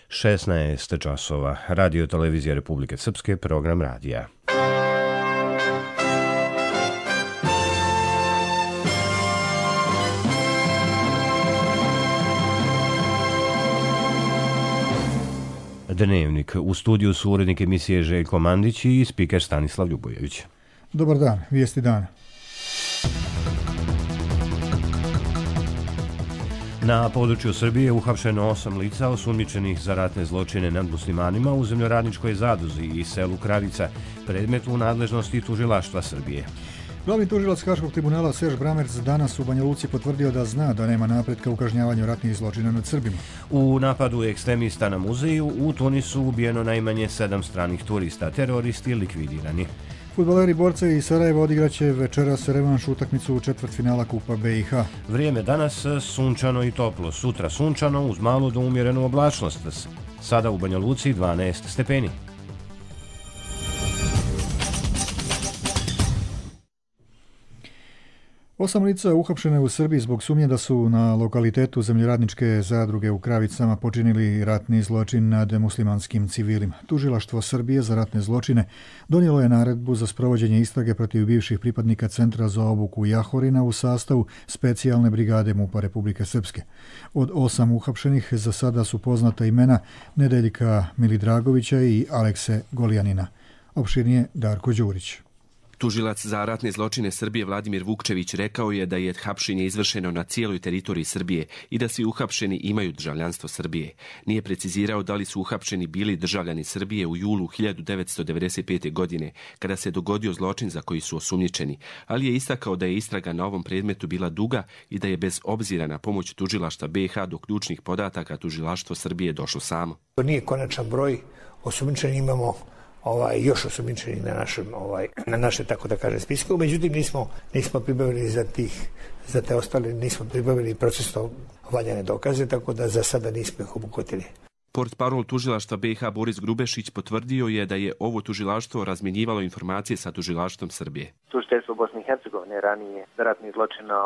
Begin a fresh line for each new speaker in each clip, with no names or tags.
16 časova. Radio Televizija Republike Srpske, program radija. Dnevnik. U studiju su urednik emisije Željko Mandić i spiker Stanislav Ljubojević.
Dobar dan, vijesti dana.
Na području Srbije uhapšeno 8 lica osumnjičenih za ratne zločine nad muslimanima u zemljoradničkoj Zaduzi i selu Kravica, predmet u nadležnosti tužilaštva Srbije.
Glavni tužilac Haškog tribunala Serž Bramerc danas u Banja Luci potvrdio da zna da nema napretka u kažnjavanju ratnih zločina nad Srbima.
U napadu ekstremista na muzeju u Tunisu ubijeno najmanje 7 stranih turista, teroristi likvidirani.
Fudbaleri Borca i Sarajeva odigraće večeras revanš utakmicu u četvrtfinala Kupa BiH.
Vrijeme danas sunčano i toplo, sutra sunčano uz malu do umjerenu oblačnost. Sada u Banja Luci 12 stepeni.
Osam lica uhapšene u Srbiji zbog sumnje da su na lokalitetu zemljoradničke zadruge u Kravicama počinili ratni zločin nad muslimanskim civilima. Tužilaštvo Srbije za ratne zločine donijelo je naredbu za sprovođenje istrage protiv bivših pripadnika Centra za obuku Jahorina u sastavu specijalne brigade MUP-a Republike Srpske. Od 8 uhapšenih za sada su poznata imena Nedeljka Milidragovića i Alekse Goljanina. Opširnije Darko Đurić.
Tužilac za ratne zločine Srbije Vladimir Vukčević rekao je da je hapšenje izvršeno na cijeloj teritoriji Srbije i da svi uhapšeni imaju državljanstvo Srbije. Nije precizirao da li su uhapšeni bili državljani Srbije u julu 1995. godine, kada se dogodio zločin za koji su osumnjičeni, ali je istakao da je istraga na ovom predmetu bila duga i da je bez obzira na pomoć tužilaštva BiH do ključnih podataka tužilaštvo Srbije došlo samo.
To nije konačan broj, osumnjičeni imamo još osumnjičeni na naše, tako da kažem, spisku. Međutim, nismo pribavili za te ostale, nismo pribavili procesno valjane dokaze, tako da za sada nismo ih obuhvatili.
Portparol tužilaštva BiH Boris Grubešić potvrdio je da je ovo tužilaštvo razmjenjivalo informacije sa tužilaštvom Srbije.
Tužiteljstvo Bosne i Hercegovine ranije za ratni zločin na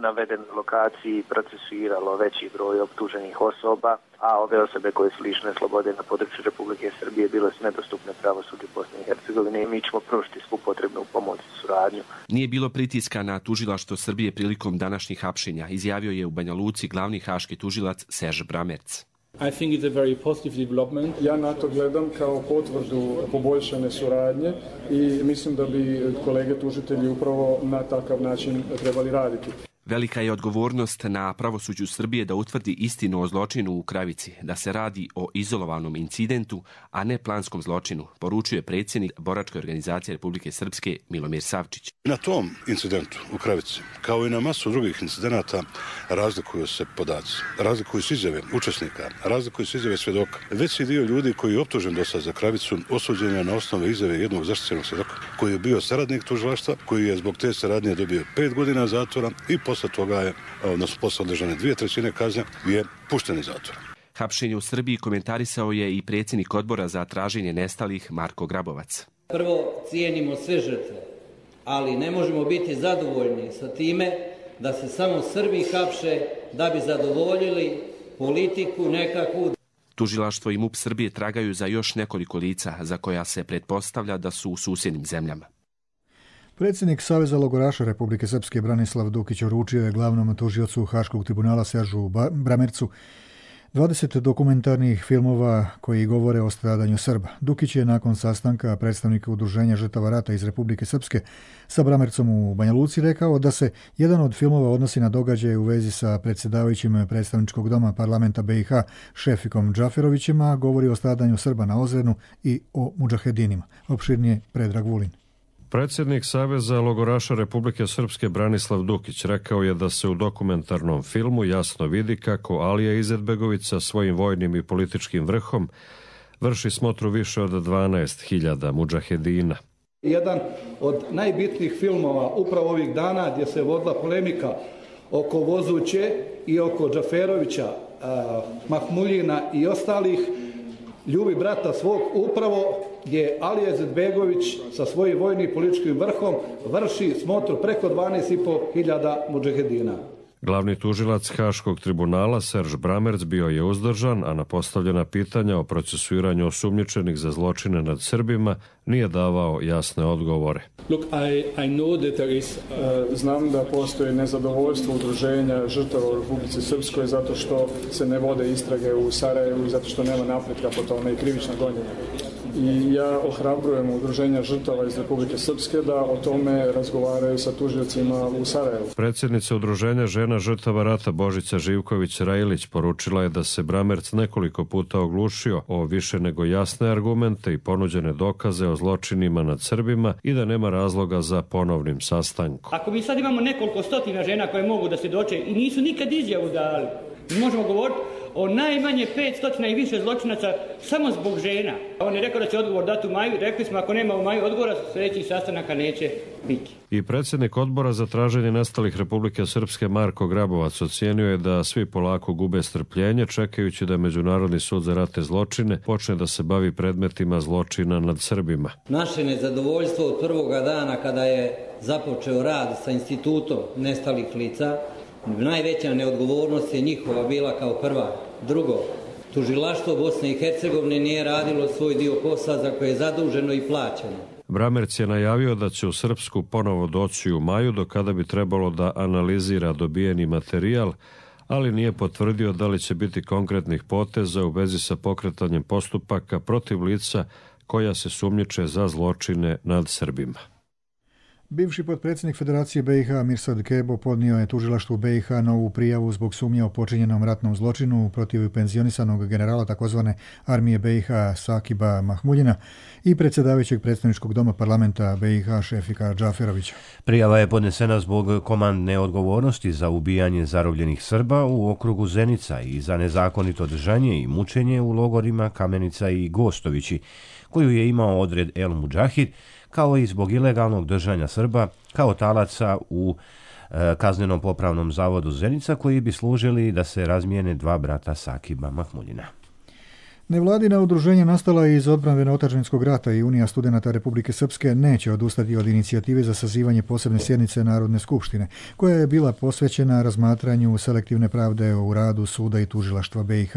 navedenoj lokaciji procesuiralo veći broj optuženih osoba, a ove osobe koje su lišene slobode na području Republike Srbije bile su nedostupne pravosuđu Bosne i Hercegovine i mi ćemo pružiti svu potrebnu pomoć i suradnju.
Nije bilo pritiska na tužilaštvo Srbije prilikom današnjih hapšenja, izjavio je u Banja Luci glavni haški tužilac Serž Bramerc.
I think it's a very positive development. Ja na to gledam kao potvrdu poboljšane suradnje i mislim da bi kolege tužitelji upravo na takav način trebali raditi.
Velika je odgovornost na pravosuđu Srbije da utvrdi istinu o zločinu u Kravici, da se radi o izolovanom incidentu, a ne planskom zločinu, poručuje predsjednik Boračke organizacije Republike Srpske Milomir Savčić.
Na tom incidentu u Kravici, kao i na masu drugih incidenata, razlikuju se podaci, razlikuju se izjave učesnika, razlikuju se izjave svjedoka. Veći dio ljudi koji je optužen do sad za Kravicu osuđen je na osnovu izjave jednog zaštićenog svjedoka, koji je bio saradnik tužilaštva, koji je zbog te saradnje dobio 5 godina zatvora i posle toga je, odnosno posle održane 2/3 kazne, je pušten iz zatvora.
Hapšenje u Srbiji komentarisao je i predsjednik odbora za traženje nestalih Marko Grabovac.
Prvo, cijenimo sve žrtve, ali ne možemo biti zadovoljni sa time da se samo Srbi hapše da bi zadovoljili politiku nekakvu.
Tužilaštvo i MUP Srbije tragaju za još nekoliko lica za koja se pretpostavlja da su u susjednim zemljama.
Predsjednik Saveza logoraša Republike Srpske Branislav Dukić uručio je glavnom tužiocu Haškog tribunala Seržu Bramercu 20 dokumentarnih filmova koji govore o stradanju Srba. Dukić je nakon sastanka predstavnika Udruženja žrtava rata iz Republike Srpske sa Bramercom u Banja Luci rekao da se jedan od filmova odnosi na događaje u vezi sa predsjedavajućim predstavničkog doma parlamenta BiH Šefikom Džaferovićem, a govori o stradanju Srba na Ozrenu i o mudžahedinima. Opširnije Predrag Vulin.
Predsjednik Saveza logoraša Republike Srpske Branislav Dukić rekao je da se u dokumentarnom filmu jasno vidi kako Alija Izetbegović sa svojim vojnim i političkim vrhom vrši smotru više od 12.000 mudžahedina.
Jedan od najbitnijih filmova upravo ovih dana gdje se vodila polemika oko Vozuće i oko Džaferovića, Mahmuljina i ostalih, ljubi brata svog, upravo gdje Alija Izetbegović sa svojim vojnim političkim vrhom vrši smotru preko 12.500 mudžahedina.
Glavni tužilac Haškog tribunala Serž Bramerc bio je uzdržan, a na postavljena pitanja o procesuiranju osumnjičenih za zločine nad Srbima nije davao jasne odgovore.
Znam da postoji nezadovoljstvo udruženja žrtava u Republici Srpskoj zato što se ne vode istrage u Sarajevu i zato što nema napretka po tome i krivična gonjenja. I ja ohrabrujem udruženja žrtava iz Republike Srpske da o tome razgovaraju sa tužiocima u Sarajevu.
Predsjednica udruženja žena žrtava rata Božica Živković-Rajlić poručila je da se Bramerc nekoliko puta oglušio o više nego jasne argumente i ponuđene dokaze o zločinima nad Srbima i da nema razloga za ponovnim sastankom.
Ako mi sad imamo nekoliko stotina žena koje mogu da svjedoče i nisu nikad izjavu dali, mi možemo govoriti o najmanje 500 i više zločinaca samo zbog žena. On je rekao da će odgovor dati u maju, rekli smo ako nema u maju odgovora, sljedećih sastanaka neće biti.
I predsjednik odbora za traženje nestalih Republike Srpske Marko Grabovac ocijenio je da svi polako gube strpljenje čekajući da Međunarodni sud za ratne zločine počne da se bavi predmetima zločina nad Srbima.
Naše nezadovoljstvo od prvoga dana kada je započeo rad sa institutom nestalih lica, najveća neodgovornost je njihova bila kao prva. Drugo, tužilaštvo Bosne i Hercegovine nije radilo svoj dio posla za koje je zaduženo i plaćeno.
Bramerc je najavio da će u Srpsku ponovo doći u maju, do kada bi trebalo da analizira dobijeni materijal, ali nije potvrdio da li će biti konkretnih poteza u vezi sa pokretanjem postupaka protiv lica koja se sumnjiče za zločine nad Srbima.
Bivši potpredsjednik Federacije BiH Mirsad Kebo podnio je tužilaštvu BiH novu prijavu zbog sumnje o počinjenom ratnom zločinu protiv penzionisanog generala takozvane armije BiH Sakiba Mahmuljina i predsjedavajućeg predstavničkog doma parlamenta BiH Šefika Džaferovića.
Prijava je podnesena zbog komandne odgovornosti za ubijanje zarobljenih Srba u okrugu Zenica i za nezakonito držanje i mučenje u logorima Kamenica i Gostovići, koju je imao odred El Mudžahid, kao i zbog ilegalnog držanja Srba kao talaca u kaznenom popravnom zavodu Zenica, koji bi služili da se razmijene dva brata Sakiba Mahmuljina.
Nevladina udruženja nastala iz odbrambeno-otadžbinskog rata i Unija studenata Republike Srpske neće odustati od inicijative za sazivanje posebne sjednice Narodne skupštine, koja je bila posvećena razmatranju selektivne pravde u radu suda i tužilaštva BiH.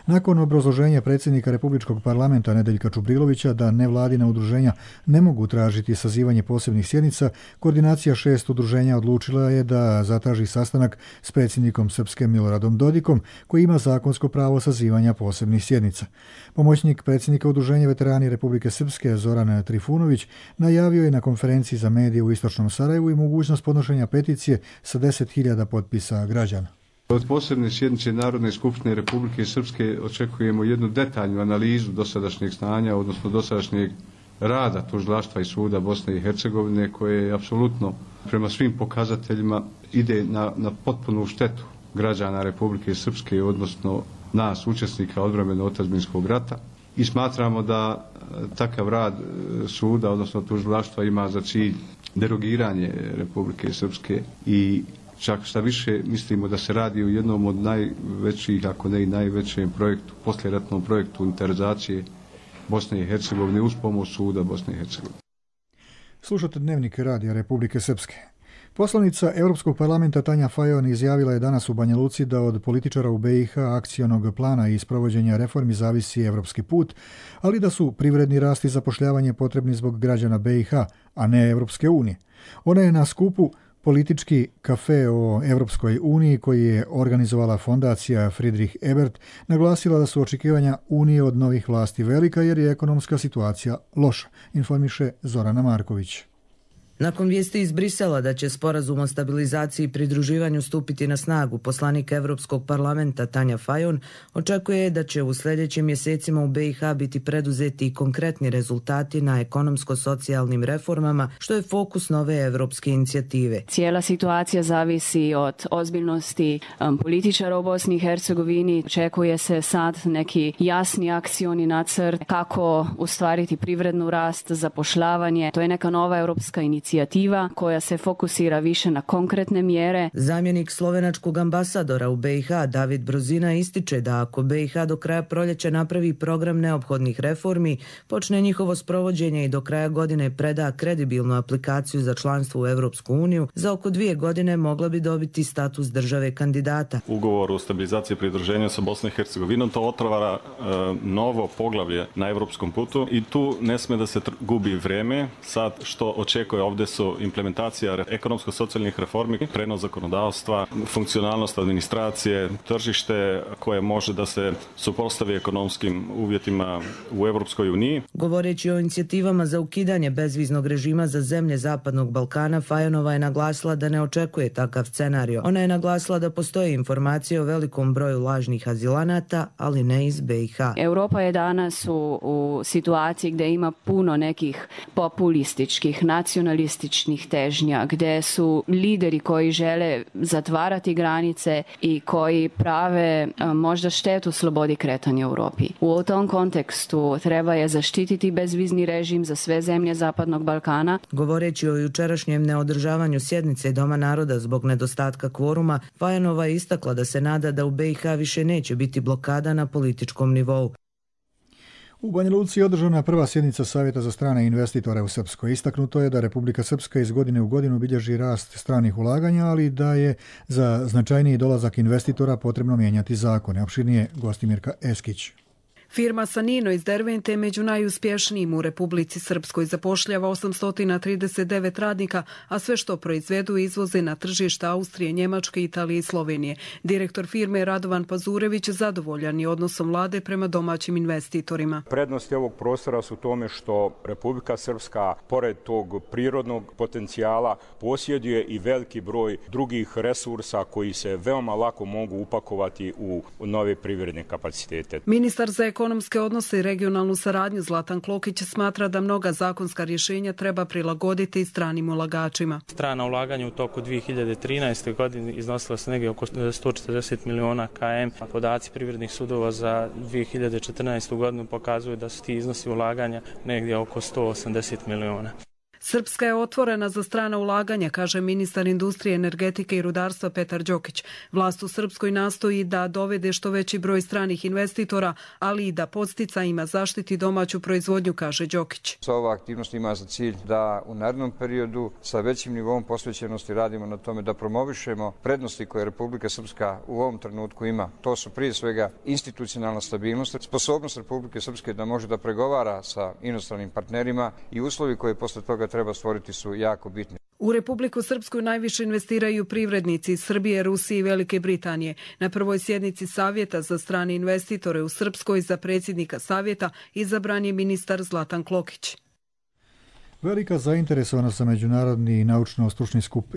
Nakon obrazloženja predsjednika Republičkog parlamenta Nedeljka Čubrilovića da nevladina udruženja ne mogu tražiti sazivanje posebnih sjednica, koordinacija 6 udruženja odlučila je da zatraži sastanak s predsjednikom Srpske Miloradom Dodikom, koji ima zakonsko pravo sazivanja posebnih sjednica. Pomoćnik predsjednika udruženja veterani Republike Srpske Zoran Trifunović najavio je na konferenciji za medije u Istočnom Sarajevu i mogućnost podnošenja peticije sa 10.000 potpisa građana.
Od posebne sjednice Narodne skupštine Republike Srpske očekujemo jednu detaljnu analizu dosadašnjeg stanja, odnosno dosadašnjeg rada tužilaštva i suda Bosne i Hercegovine, koje je apsolutno prema svim pokazateljima ide na potpunu štetu građana Republike Srpske, odnosno nas, učesnika odbrambeno-otadžbinskog rata, i smatramo da takav rad suda, odnosno tužilaštva, ima za cilj derogiranje Republike Srpske i čak šta više mislimo da se radi o jednom od najvećih, ako ne i najvećem projektu, poslijeratnom projektu unitarizacije Bosne i Hercegovine uz pomoć suda Bosne i Hercegovine.
Slušate Dnevnik radija Republike Srpske. Poslanica Europskog parlamenta Tanja Fajon izjavila je danas u Banja Luci da od političara u BiH, akcionog plana i sprovođenja reformi zavisi evropski put, ali da su privredni rast i zapošljavanje potrebni zbog građana BiH, a ne Evropske unije. Ona je na skupu Politički kafe o Evropskoj uniji, koji je organizovala fondacija Friedrich Ebert, naglasila da su očekivanja Unije od novih vlasti velika jer je ekonomska situacija loša, informiše Zorana Marković.
Nakon vijesti iz Brisela da će sporazum o stabilizaciji i pridruživanju stupiti na snagu, poslanik Evropskog parlamenta Tanja Fajon očekuje da će u sljedećim mjesecima u BiH biti preduzeti i konkretni rezultati na ekonomsko-socijalnim reformama, što je fokus nove evropske inicijative.
Cijela situacija zavisi od ozbiljnosti političara u Bosni i Hercegovini. Očekuje se sad neki jasni akcioni nacrt kako ostvariti privrednu rast, zapošljavanje. To je neka nova europska inicijativa inicijativa koja se fokusira više na konkretne mjere.
Zamjenik slovenačkog ambasadora u BiH David Brozina ističe da ako BiH do kraja proljeća napravi program neophodnih reformi, počne njihovo sprovođenje i do kraja godine preda kredibilnu aplikaciju za članstvo u Europsku uniju, za oko 2 godine mogla bi dobiti status države kandidata.
Ugovor o stabilizaciji i pridruženju sa Bosnom i Hercegovinom to otvara novo poglavlje na europskom putu i tu ne sme da se gubi vreme. Sad što očekuje ovdje su implementacija ekonomsko-socijalnih reformi, prenos zakonodavstva, funkcionalnost administracije, tržište koje može da se suprotstavi ekonomskim uvjetima u Europskoj uniji.
Govoreći o inicijativama za ukidanje bezviznog režima za zemlje Zapadnog Balkana, Fajonova je naglasila da ne očekuje takav scenario. Ona je naglasila da postoje informacije o velikom broju lažnih azilanata, ali ne iz BiH.
Europa je danas u situaciji gdje ima puno nekih populističkih, nacionalističnih težnja, gdje su lideri koji žele zatvarati granice i koji prave možda štetu slobodi kretanja u Europi. U tom kontekstu treba je zaštititi bezvizni režim za sve zemlje Zapadnog Balkana.
Govoreći o jučerašnjem neodržavanju sjednice Doma naroda zbog nedostatka kvoruma, Fajonova je istakla da se nada da u BiH više neće biti blokada na političkom nivou.
U Banja Luci je održana prva sjednica Savjeta za strane investitore u Srpskoj. Istaknuto je da Republika Srpska iz godine u godinu bilježi rast stranih ulaganja, ali da je za značajniji dolazak investitora potrebno mijenjati zakone. Opširnije Gostimirka Eskić.
Firma Sanino iz Dervente je među najuspješnijim u Republici Srpskoj, zapošljava 839 radnika, a sve što proizvedu izvoze na tržišta Austrije, Njemačke, Italije i Slovenije. Direktor firme Radovan Pazurević zadovoljan je odnosom vlade prema domaćim investitorima.
Prednosti ovog prostora su u tome što Republika Srpska, pored tog prirodnog potencijala, posjeduje i veliki broj drugih resursa koji se veoma lako mogu upakovati u nove privredne kapacitete.
Ministar za ekonomske odnose i regionalnu saradnju Zlatan Klokić smatra da mnoga zakonska rješenja treba prilagoditi stranim ulagačima.
Strana ulaganja u toku 2013. godine iznosila se negdje oko 140 miliona km. Podaci privrednih sudova za 2014. godinu pokazuju da su ti iznosi ulaganja negdje oko 180 miliona.
Srpska je otvorena za strana ulaganja, kaže ministar industrije, energetike i rudarstva Petar Đokić. Vlast u Srpskoj nastoji da dovede što veći broj stranih investitora, ali i da podsticajima zaštiti domaću proizvodnju, kaže Đokić.
Ova aktivnost ima za cilj da u narednom periodu sa većim nivom posvećenosti radimo na tome da promovišemo prednosti koje Republika Srpska u ovom trenutku ima. To su prije svega institucionalna stabilnost, sposobnost Republike Srpske da može da pregovara sa inostranim partnerima i uslovi koje posle toga treba stvoriti su jako bitni.
U Republiku Srpsku najviše investiraju privrednici iz Srbije, Rusije i Velike Britanije. Na prvoj sjednici Savjeta za strane investitore u Srpskoj za predsjednika Savjeta izabran je ministar Zlatan Klokić.
Velika zainteresovanost za međunarodni naučno-stručni skup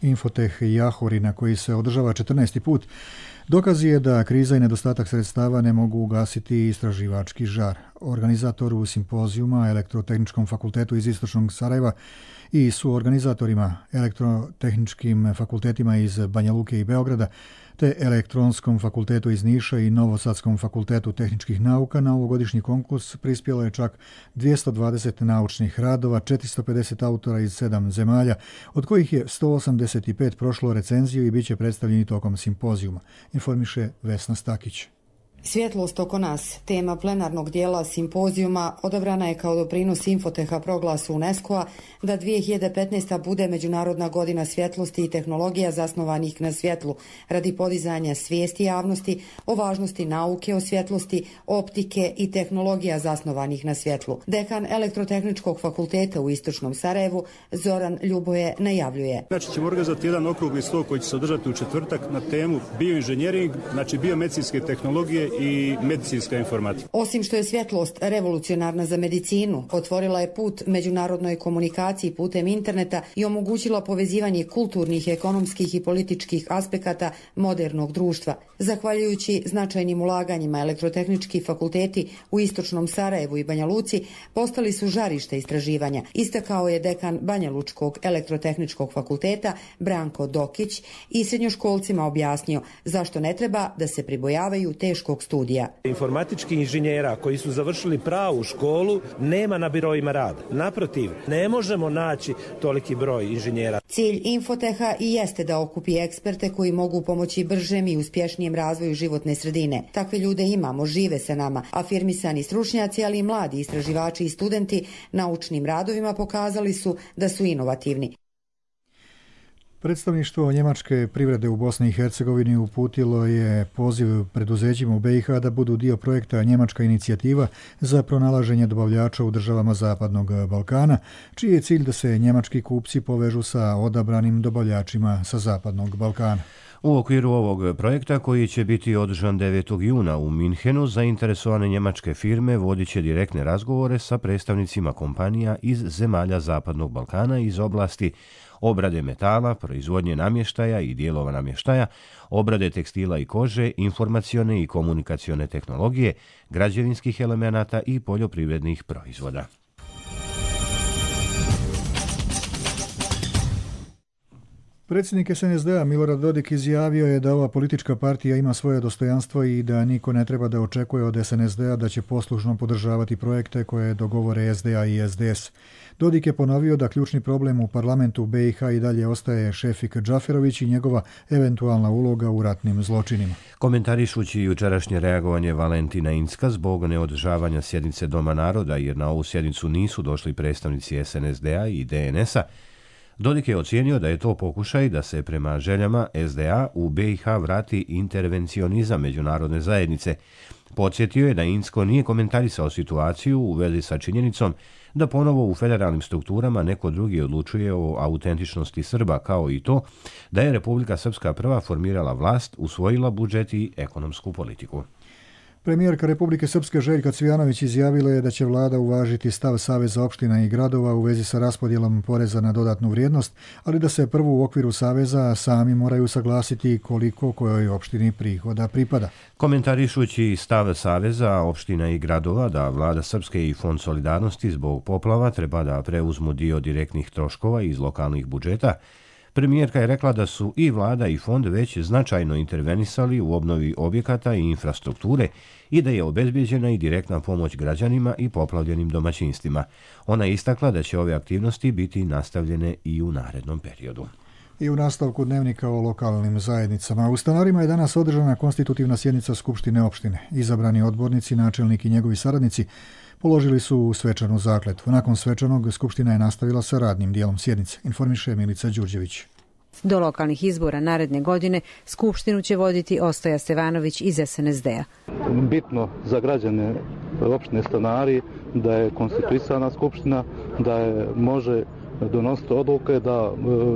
Infoteh Jahori, na koji se održava 14. put, dokaz je da kriza i nedostatak sredstava ne mogu ugasiti istraživački žar. Organizatoru simpozijuma Elektrotehničkom fakultetu iz Istočnog Sarajeva i suorganizatorima elektrotehničkim fakultetima iz Banja Luke i Beograda te Elektronskom fakultetu iz Niša i Novosadskom fakultetu tehničkih nauka na ovogodišnji konkurs prispjelo je čak 220 naučnih radova, 450 autora iz 7 zemalja, od kojih je 185 prošlo recenziju i bit će predstavljeni tokom simpozijuma, informiše Vesna Stakić.
Svjetlost oko nas, tema plenarnog dijela simpozijuma, odabrana je kao doprinos Infoteha proglasu UNESCO-a da 2015. bude Međunarodna godina svjetlosti i tehnologija zasnovanih na svjetlu, radi podizanja svijesti javnosti o važnosti nauke o svjetlosti, optike i tehnologija zasnovanih na svjetlu. Dekan Elektrotehničkog fakulteta u Istočnom Sarajevu, Zoran Ljuboje, najavljuje.
Znači ćemo organizovati jedan okrugli stol koji će se održati u četvrtak na temu bioinženjering, znači biomedicinske tehnologije i medicinska informatika.
Osim što je svjetlost revolucionarna za medicinu, otvorila je put međunarodnoj komunikaciji putem interneta i omogućila povezivanje kulturnih, ekonomskih i političkih aspekata modernog društva. Zahvaljujući značajnim ulaganjima, elektrotehnički fakulteti u Istočnom Sarajevu i Banja Luci postali su žarište istraživanja, istakao je dekan Banja Lučkog elektrotehničkog fakulteta Branko Dokić i srednjoškolcima objasnio zašto ne treba da se pribojavaju teškog magistarskog studija.
Informatičkih inženjera koji su završili pravu školu nema na biroima rada. Naprotiv, ne možemo naći toliki broj inženjera.
Cilj Infoteha i jeste da okupi eksperte koji mogu pomoći bržem i uspješnijem razvoju životne sredine. Takve ljude imamo, žive sa nama. Afirmisani stručnjaci, ali i mladi istraživači i studenti naučnim radovima pokazali su da su inovativni.
Predstavništvo njemačke privrede u Bosni i Hercegovini uputilo je poziv preduzećima u BiH da budu dio projekta Njemačka inicijativa za pronalaženje dobavljača u državama Zapadnog Balkana, čiji je cilj da se njemački kupci povežu sa odabranim dobavljačima sa Zapadnog Balkana.
U okviru ovog projekta, koji će biti održan 9. juna u Minhenu, zainteresovane njemačke firme vodit će direktne razgovore sa predstavnicima kompanija iz zemalja Zapadnog Balkana iz oblasti obrade metala, proizvodnje namještaja i dijelova namještaja, obrade tekstila i kože, informacione i komunikacione tehnologije, građevinskih elemenata i poljoprivrednih proizvoda.
Predsjednik SNSD-a Milorad Dodik izjavio je da ova politička partija ima svoje dostojanstvo i da niko ne treba da očekuje od SNSD-a da će poslušno podržavati projekte koje dogovore SDA i SDS. Dodik je ponovio da ključni problem u parlamentu BiH i dalje ostaje Šefik Džaferović i njegova eventualna uloga u ratnim zločinima.
Komentarišući jučerašnje reagovanje Valentina Incka zbog neodržavanja sjednice Doma naroda, jer na ovu sjednicu nisu došli predstavnici SNSD-a i DNS-a, Dodik je ocijenio da je to pokušaj da se prema željama SDA u BiH vrati intervencionizam međunarodne zajednice. Podsjetio je da Incko nije komentarisao situaciju u vezi sa činjenicom da ponovo u federalnim strukturama neko drugi odlučuje o autentičnosti Srba, kao i to da je Republika Srpska prva formirala vlast, usvojila budžet i ekonomsku politiku.
Premijerka Republike Srpske Željka Cvijanović izjavila je da će vlada uvažiti stav Saveza opština i gradova u vezi sa raspodjelom poreza na dodatnu vrijednost, ali da se prvo u okviru Saveza sami moraju saglasiti koliko kojoj opštini prihoda pripada.
Komentarišući stav Saveza opština i gradova da vlada Srpske i Fond solidarnosti zbog poplava treba da preuzmu dio direktnih troškova iz lokalnih budžeta, premijerka je rekla da su i vlada i fond već značajno intervenisali u obnovi objekata i infrastrukture i da je obezbeđena i direktna pomoć građanima i poplavljenim domaćinstvima. Ona je istakla da će ove aktivnosti biti nastavljene i u narednom periodu.
I u nastavku dnevnika o lokalnim zajednicama. U Stanarima je danas održana konstitutivna sjednica Skupštine opštine. Izabrani odbornici, načelnik i njegovi saradnici položili su svečanu zakletvu. Nakon svečanog, Skupština je nastavila sa radnim dijelom sjednice, informiše Milica Đurđević.
Do lokalnih izbora naredne godine Skupštinu će voditi Ostoja Stevanović iz SNSD-a.
Bitno za građane opštine Stanari da je konstituisana Skupština, da je može donositi odluke, da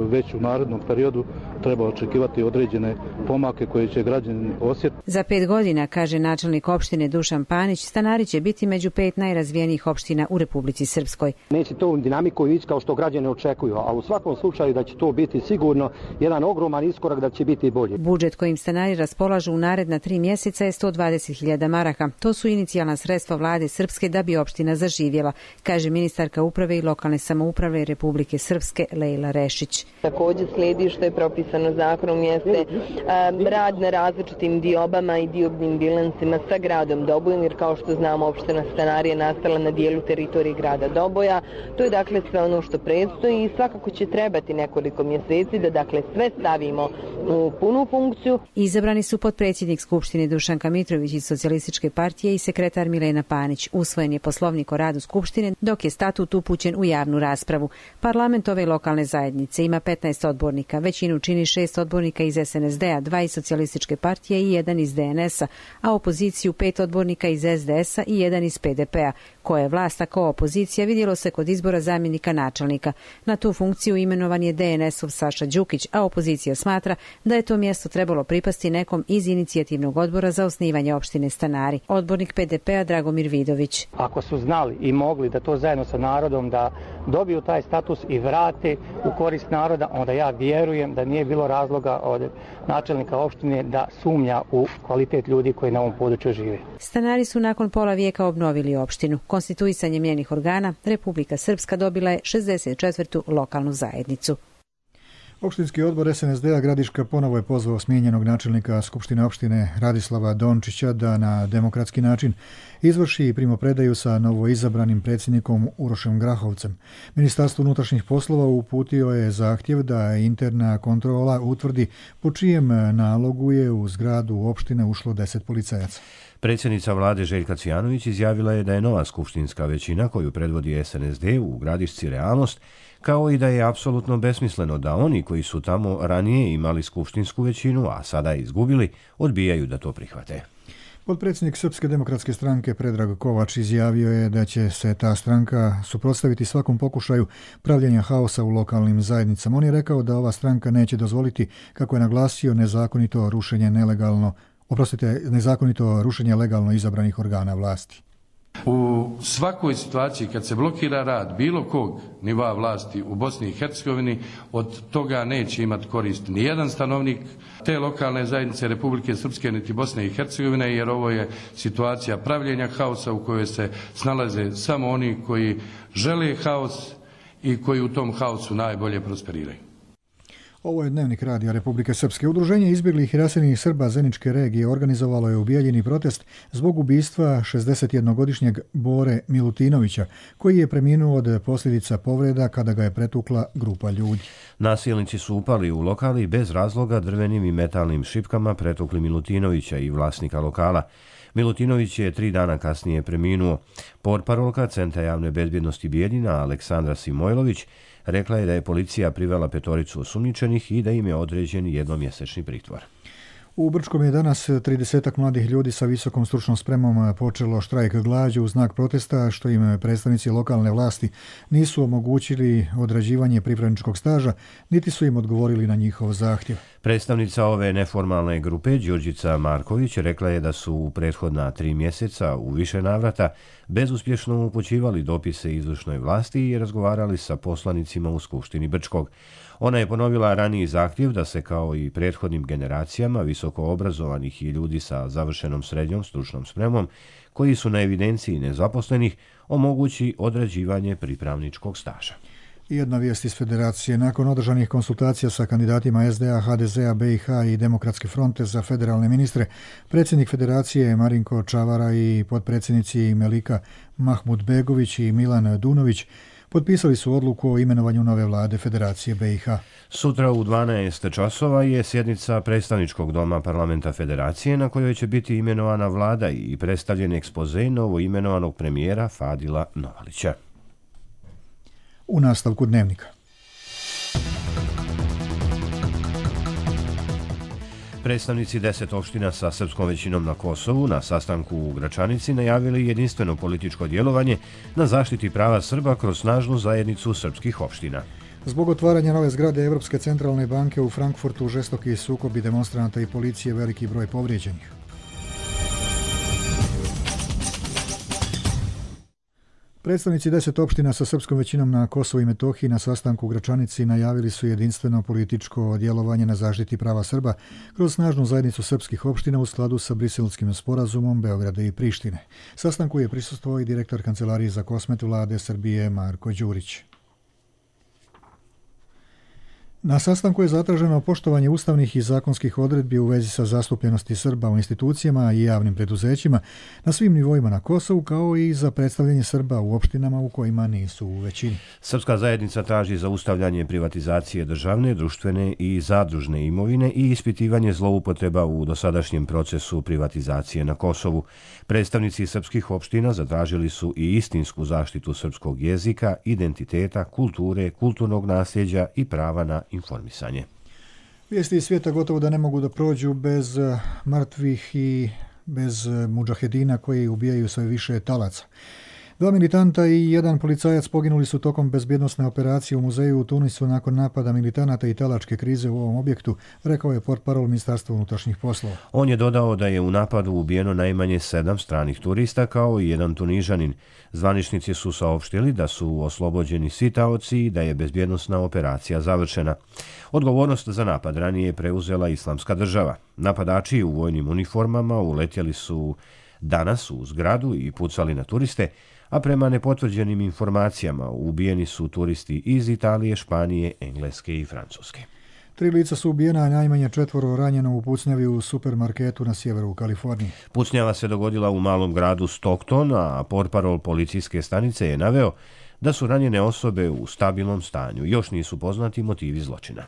već u narednom periodu treba očekivati određene pomake koje će građani osjetiti.
Za 5 godina, kaže načelnik opštine Dušan Panić, Stanari će biti među 5 najrazvijenijih opština u Republici Srpskoj.
Neće to u dinamiku ići kao što građani očekuju, a u svakom slučaju da će to biti sigurno jedan ogroman iskorak, da će biti bolje.
Budžet kojim Stanari raspolažu u naredna 3 mjeseca je 120.000 maraka. To su inicijalna sredstva vlade Srpske da bi opština zaživjela, kaže ministarka uprave i lokalne samouprave Republike Srpske Lejla Rešić.
Također slijedi što je propisano zakonom jeste rad na različitim diobama i diobnim bilansima sa gradom Dobojom, jer kao što znamo opština Stanari je nastala na dijelu teritorije grada Doboja. To je dakle sve ono što predstoji i svakako će trebati nekoliko mjeseci da dakle sve stavimo u punu funkciju.
Izabrani su potpredsjednik Skupštine Dušanka Mitrović iz Socijalističke partije i sekretar Milena Panić. Usvojen je poslovnik o radu Skupštine, dok je statut upućen u javnu raspravu. Parlament ove lokalne zajednice ima 15 odbornika, većinu čini 6 odbornika iz SNSD-a, 2 iz Socijalističke partije i 1 iz DNS-a, a opoziciju 5 odbornika iz SDS-a i 1 iz PDP-a. Ko je vlast, a ko opozicija, vidjelo se kod izbora zamjenika načelnika. Na tu funkciju imenovan je DNS-ov Saša Đukić, a opozicija smatra da je to mjesto trebalo pripasti nekom iz inicijativnog odbora za osnivanje opštine Stanari. Odbornik PDP-a Dragomir Vidović.
Ako su znali i mogli da to zajedno sa narodom da dobiju taj status i vrate u korist naroda, onda ja vjerujem da nije bilo razloga od načelnika opštine da sumnja u kvalitet ljudi koji na ovom području žive.
Stanari su nakon pola vijeka obnovili opštinu. Konstituisanjem njenih organa, Republika Srpska dobila je 64. lokalnu zajednicu.
Opštinski odbor SNSD-a Gradiška ponovo je pozvao smijenjenog načelnika Skupštine opštine Radislava Dončića da na demokratski način izvrši primopredaju sa novoizabranim predsjednikom Urošem Grahovcem. Ministarstvo unutrašnjih poslova uputio je zahtjev da interna kontrola utvrdi po čijem nalogu je u zgradu opštine ušlo 10 policajaca.
Predsjednica vlade Željka Cvijanović izjavila je da je nova skupštinska većina koju predvodi SNSD u Gradišci realnost, kao i da je apsolutno besmisleno da oni koji su tamo ranije imali skupštinsku većinu, a sada je izgubili, odbijaju da to prihvate.
Potpredsjednik Srpske demokratske stranke Predrag Kovač izjavio je da će se ta stranka suprotstaviti svakom pokušaju pravljenja haosa u lokalnim zajednicama. On je rekao da ova stranka neće dozvoliti, kako je naglasio, nezakonito rušenje legalno izabranih organa vlasti.
U svakoj situaciji kad se blokira rad bilo kog nivoa vlasti u Bosni i Hercegovini, od toga neće imati korist ni jedan stanovnik te lokalne zajednice Republike Srpske niti Bosne i Hercegovine, jer ovo je situacija pravljenja haosa u kojoj se snalaze samo oni koji žele haos i koji u tom haosu najbolje prosperiraju.
Ovo je Dnevnik radija Republike Srpske. Udruženje izbjeglih i raseljenih Srba Zeničke regije organizovalo je ubijeljeni protest zbog ubistva 61-godišnjeg Bore Milutinovića, koji je preminuo od posljedica povreda kada ga je pretukla grupa ljudi.
Nasilnici su upali u lokal i bez razloga drvenim i metalnim šipkama pretukli Milutinovića i vlasnika lokala. Milutinović je 3 dana kasnije preminuo. Portparolka Centra javne bezbjednosti Bijeljina Aleksandra Simojlović rekla je da je policija privela 5 osumnjičenih i da im je određen jednomjesečni pritvor.
U Brčkom je danas 30 mladih ljudi sa visokom stručnom spremom počelo štrajk glađu u znak protesta što im predstavnici lokalne vlasti nisu omogućili odrađivanje pripravničkog staža, niti su im odgovorili na njihov zahtjev.
Predstavnica ove neformalne grupe, Đurđica Marković, rekla je da su u prethodna 3 mjeseca u više navrata bezuspješno upućivali dopise izvršnoj vlasti i razgovarali sa poslanicima u Skupštini Brčkog. Ona je ponovila raniji zahtjev da se kao i prethodnim generacijama visoko obrazovanih i ljudi sa završenom srednjom stručnom spremom koji su na evidenciji nezaposlenih omogući odrađivanje pripravničkog staža.
Jedna vijest iz Federacije. Nakon održanih konsultacija sa kandidatima SDA, HDZ-a, BiH i Demokratske fronte za federalne ministre, predsjednik Federacije Marinko Čavara i potpredsjednici Melika Mahmudbegović i Milan Dunović potpisali su odluku o imenovanju nove vlade Federacije BiH.
Sutra u 12 časova je sjednica predstavničkog doma parlamenta Federacije na kojoj će biti imenovana vlada i predstavljen ekspoze novo imenovanog premijera Fadila Novalića.
U nastavku Dnevnika.
Predstavnici 10 opština sa srpskom većinom na Kosovu na sastanku u Gračanici najavili jedinstveno političko djelovanje na zaštiti prava Srba kroz snažnu zajednicu srpskih opština.
Zbog otvaranja nove zgrade Evropske centralne banke u Frankfurtu žestoki sukobi demonstranata i policije, veliki broj povrijeđenih. Predstavnici 10 opština sa srpskom većinom na Kosovu i Metohiji na sastanku u Gračanici najavili su jedinstveno političko djelovanje na zaštiti prava Srba kroz snažnu zajednicu srpskih opština u skladu sa Briselskim sporazumom Beograda i Prištine. Sastanku je prisustvovao i direktor Kancelarije za Kosmet vlade Srbije Marko Đurić. Na sastanku je zatraženo poštovanje ustavnih i zakonskih odredbi u vezi sa zastupljenosti Srba u institucijama i javnim preduzećima na svim nivoima na Kosovu, kao i za predstavljanje Srba u opštinama u kojima nisu u većini.
Srpska zajednica traži zaustavljanje privatizacije državne, društvene i zadružne imovine i ispitivanje zloupotreba u dosadašnjem procesu privatizacije na Kosovu. Predstavnici srpskih opština zatražili su i istinsku zaštitu srpskog jezika, identiteta, kulture, kulturnog nasljeđa i prava na informisanje.
Vijesti iz svijeta gotovo da ne mogu da prođu bez mrtvih i bez mudžahedina koji ubijaju sve više talaca. 2 militanta i 1 policajac poginuli su tokom bezbjednosne operacije u muzeju u Tunisu nakon napada militanata i talačke krize u ovom objektu, rekao je portparol Ministarstva unutrašnjih poslova.
On je dodao da je u napadu ubijeno najmanje 7 stranih turista kao i 1 Tunižanin. Zvaničnici su saopštili da su oslobođeni svi taoci i da je bezbjednosna operacija završena. Odgovornost za napad ranije preuzela Islamska država. Napadači u vojnim uniformama uletjeli su danas u zgradu i pucali na turiste, a prema nepotvrđenim informacijama ubijeni su turisti iz Italije, Španije, Engleske i Francuske.
3 lica su ubijena, a najmanje 4 ranjeno u pucnjavi u supermarketu na sjeveru Kalifornije.
Pucnjava se dogodila u malom gradu Stockton, a portparol policijske stanice je naveo da su ranjene osobe u stabilnom stanju. Još nisu poznati motivi zločina.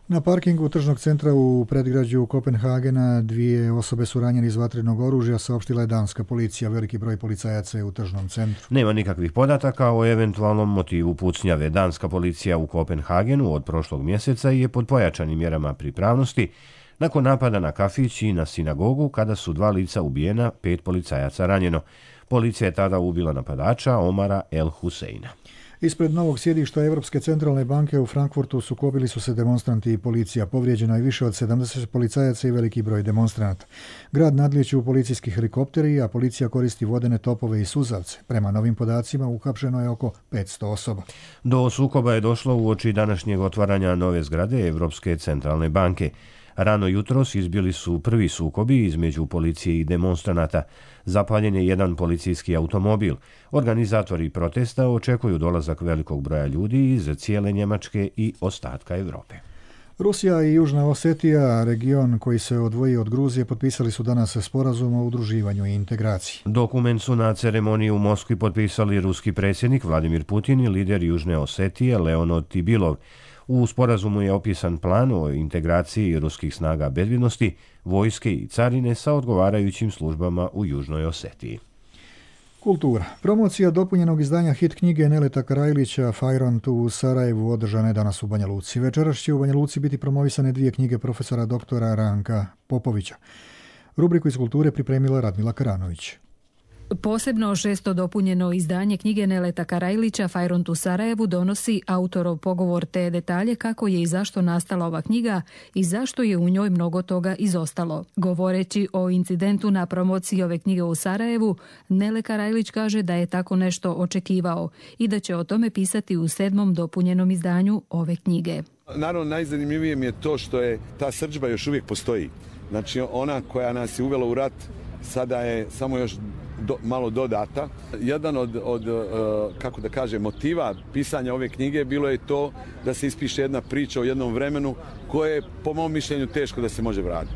Na parkingu tržnog centra u predgrađu Kopenhagena 2 osobe su ranjene iz vatrenog oružja, saopštila je danska policija. Veliki broj policajaca je u tržnom centru.
Nema nikakvih podataka o eventualnom motivu pucnjave. Danska policija u Kopenhagenu od prošlog mjeseca je pod pojačanim mjerama pripravnosti nakon napada na kafić i na sinagogu, kada su 2 lica ubijena, 5 policajaca ranjeno. Policija je tada ubila napadača Omara El Huseina.
Ispred novog sjedišta Europske centralne banke u Frankfurtu sukobili su se demonstranti i policija. Povrijeđeno je više od 70 policajaca i veliki broj demonstranata. Grad nadlijeću policijski helikopteri, a policija koristi vodene topove i suzavce. Prema novim podacima uhapšeno je oko 500 osoba.
Do sukoba je došlo uoči današnjeg otvaranja nove zgrade Europske centralne banke. Rano jutros izbili su prvi sukobi između policije i demonstranata. Zapaljen je jedan policijski automobil. Organizatori protesta očekuju dolazak velikog broja ljudi iz cijele Njemačke i ostatka Europe.
Rusija i Južna Osetija, region koji se odvoji od Gruzije, potpisali su danas sporazum o udruživanju i integraciji.
Dokument su na ceremoniji u Moskvi potpisali ruski predsjednik Vladimir Putin i lider Južne Osetije Leonid Tibilov. U sporazumu je opisan plan o integraciji ruskih snaga bezbjednosti, vojske i carine sa odgovarajućim službama u Južnoj Osetiji.
Kultura. Promocija dopunjenog izdanja hit knjige Neleta Karajlića Fajront u Sarajevu održana je danas u Banja Luci. Večeras će u Banja Luci biti promovisane 2 knjige profesora doktora Ranka Popovića. Rubriku iz kulture pripremila Radmila Karanović.
Posebno 6. dopunjeno izdanje knjige Neleta Karajlića Fajront u Sarajevu donosi autorov pogovor te detalje kako je i zašto nastala ova knjiga i zašto je u njoj mnogo toga izostalo. Govoreći o incidentu na promociji ove knjige u Sarajevu, Nele Karajlić kaže da je tako nešto očekivao i da će o tome pisati u 7. dopunjenom izdanju ove knjige.
Naravno, najzanimljivije mi je to što je ta srdžba još uvijek postoji. Znači, ona koja nas je uvela u rat sada je samo još malo dodata. Jedan od kako da kažem, motiva pisanja ove knjige bilo je to da se ispiše jedna priča o jednom vremenu koje je, po mom mišljenju, teško da se može vratiti.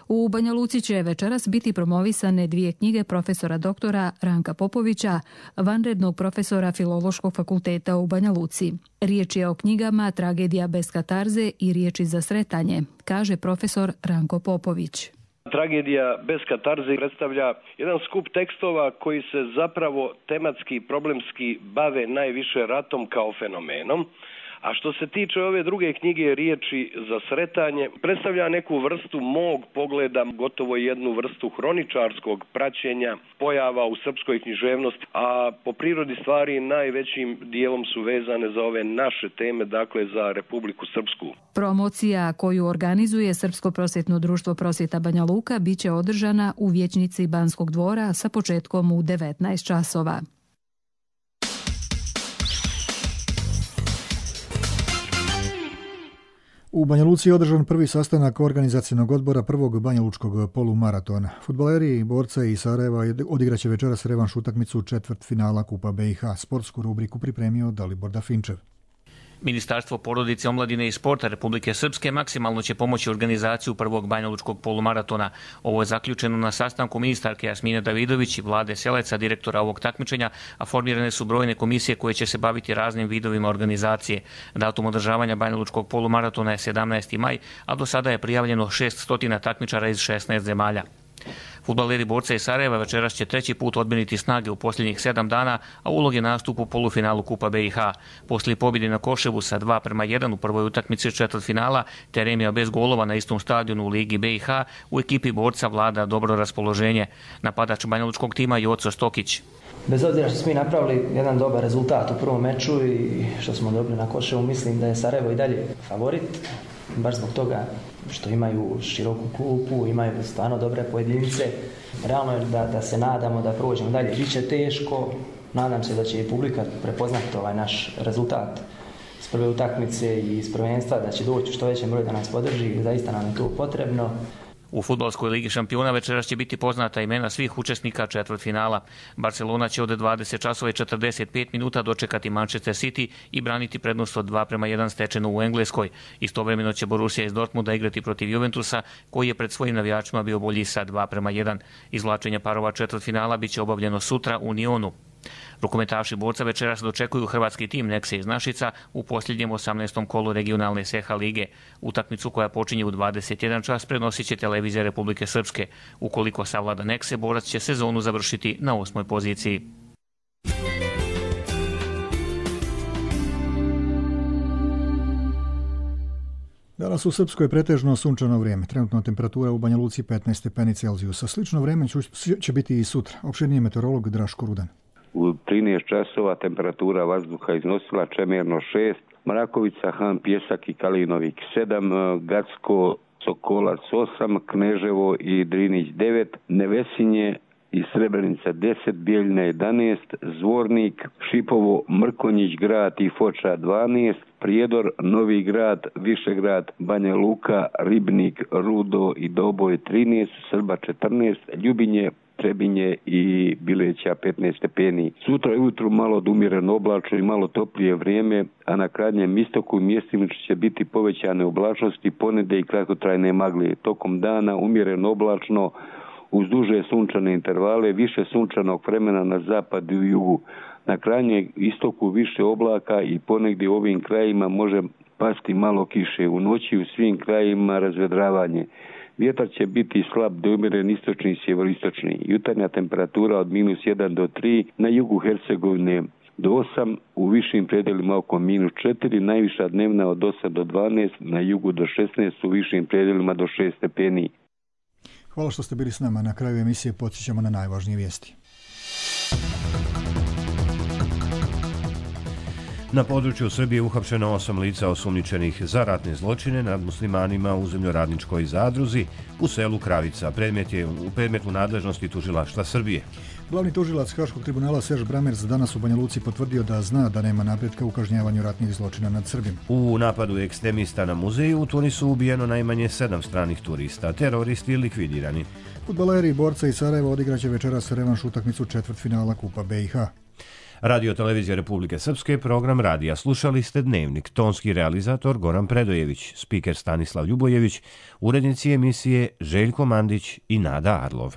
U Banja Luci će večeras biti promovisane 2 knjige profesora doktora Ranka Popovića, vanrednog profesora Filološkog fakulteta u Banja Luci. Riječ je o knjigama Tragedija bez katarze i Riječi za sretanje, kaže profesor Ranko Popović.
Tragedija bez katarze predstavlja jedan skup tekstova koji se zapravo tematski i problemski bave najviše ratom kao fenomenom. A što se tiče ove druge knjige Riječi za sretanje, predstavlja neku vrstu mog pogleda, gotovo jednu vrstu hroničarskog praćenja pojava u srpskoj književnosti, a po prirodi stvari najvećim dijelom su vezane za ove naše teme, dakle za Republiku Srpsku.
Promocija koju organizuje Srpsko prosvjetno društvo Prosvjeta Banja Luka biće održana u vijećnici Banskog dvora sa početkom u 19 časova.
U Banja Luci je održan prvi sastanak organizacionog odbora prvog banjalučkog polumaratona. Fudbaleri borca iz Sarajeva odigraće večeras revanš utakmicu četvrtfinala Kupa BiH. Sportsku rubriku pripremio Dalibor Dafinčev.
Ministarstvo porodice, omladine i sporta Republike Srpske maksimalno će pomoći organizaciju prvog banjalučkog polumaratona. Ovo je zaključeno na sastanku ministarke Jasmine Davidović i Vlade Seleca, direktora ovog takmičenja, a formirane su brojne komisije koje će se baviti raznim vidovima organizacije. Datum održavanja banjalučkog polumaratona je 17. maj, a do sada je prijavljeno 600 takmičara iz 16 zemalja. Fudbaleri borca iz Sarajeva večeras će 3. put odmjeriti snage u posljednjih 7 dana, a ulog je nastup u polufinalu Kupa BiH. Poslije pobjede na Koševu sa 2:1 u prvoj utakmici četvrtfinala, te remija bez golova na istom stadionu u Ligi BiH, u ekipi borca vlada dobro raspoloženje. Napadač banjalučkog tima Joco Stokić.
Bez obzira što smo mi napravili jedan dobar rezultat u prvom meču i što smo dobili na Koševu, mislim da je Sarajevo i dalje favorit. Baš zbog toga što imaju široku klupu, imaju stvarno dobre pojedince. Realno je da se nadamo da prođemo dalje. Biće teško, nadam se da će i publika prepoznati ovaj naš rezultat s prve utakmice i s prvenstva, da će doći što većem broju da nas podrži, zaista nam je to potrebno.
U fudbalskoj ligi šampiona večeras će biti poznata imena svih učesnika četvrtfinala. Barcelona će od 20 časova i 45 minuta dočekati Manchester City i braniti prednost od 2:1 stečenu u Engleskoj. Istovremeno će Borussia iz Dortmunda igrati protiv Juventusa, koji je pred svojim navijačima bio bolji sa 2:1. Izvlačenje parova četvrtfinala biće obavljeno sutra u Nionu. Rukometaši borca večeras dočekuju hrvatski tim Nekse iz Našica u posljednjem 18. kolu regionalne SEHA lige. Utakmicu koja počinje u 21 čas prenosit će televizija Republike Srpske. Ukoliko savlada Nekse, borac će sezonu završiti na 8. poziciji.
Danas u Srpskoj je pretežno sunčano vrijeme. Trenutna temperatura u Banja Luci 15 stepeni Celzijusa. Slično vrijeme će biti i sutra. Opširniji meteorolog Draško Rudan.
U 13 časova temperatura vazduha iznosila Čemerno 6, Mrakovica, Han, Pjesak i Kalinovik 7, Gacko, Sokolac 8, Kneževo i Drinić 9, Nevesinje i Srebrenica 10, Bijeljina 11, Zvornik, Šipovo, Mrkonjić grad i Foča 12, Prijedor, Novi grad, Višegrad, Banja Luka, Ribnik, Rudo i Doboj 13, Srba 14, Ljubinje, Trebinje i Bileća 15 stepeni. Sutra ujutru malo umjereno oblačno i malo toplije vrijeme, a na krajnjem istoku mjestimično će biti povećane oblačnosti, ponede i kratkotrajne magle. Tokom dana umjereno oblačno uz duže sunčane intervale, više sunčanog vremena na zapadu i jugu. Na krajnjem istoku više oblaka i ponegdje u ovim krajima može pasti malo kiše. U noći u svim krajima razvedravanje. Vjetar će biti slab do umjeren istočni i sjeveristočni. Jutarnja temperatura od -1 do 3, na jugu Hercegovine do 8, u višim predelima oko -4, najviša dnevna od 8 do 12, na jugu do 16, u višim predelima do 6 stepeni.
Hvala što ste bili s nama. Na kraju emisije podsjećamo na najvažnije vijesti.
Na području Srbije uhapšeno 8 lica osumnjičenih za ratne zločine nad muslimanima u zemljoradničkoj zadruzi u selu Kravica. Predmet je u predmetu nadležnosti tužilaštva Srbije.
Glavni tužilac Haškog tribunala Serž Bramerc danas u Banja Luci potvrdio da zna da nema napretka u kažnjavanju ratnih zločina nad Srbima.
U napadu ekstremista na muzeju u Tunisu ubijeno najmanje 7 stranih turista, teroristi likvidirani.
Fudbaleri borca iz Sarajeva odigraće večeras revanš utakmicu četvrtfinala Kupa BiH.
Radio Televizija Republike Srpske, program radija. Slušali ste Dnevnik, tonski realizator Goran Predojević, spiker Stanislav Ljubojević, urednici emisije Željko Mandić i Nada Arlov.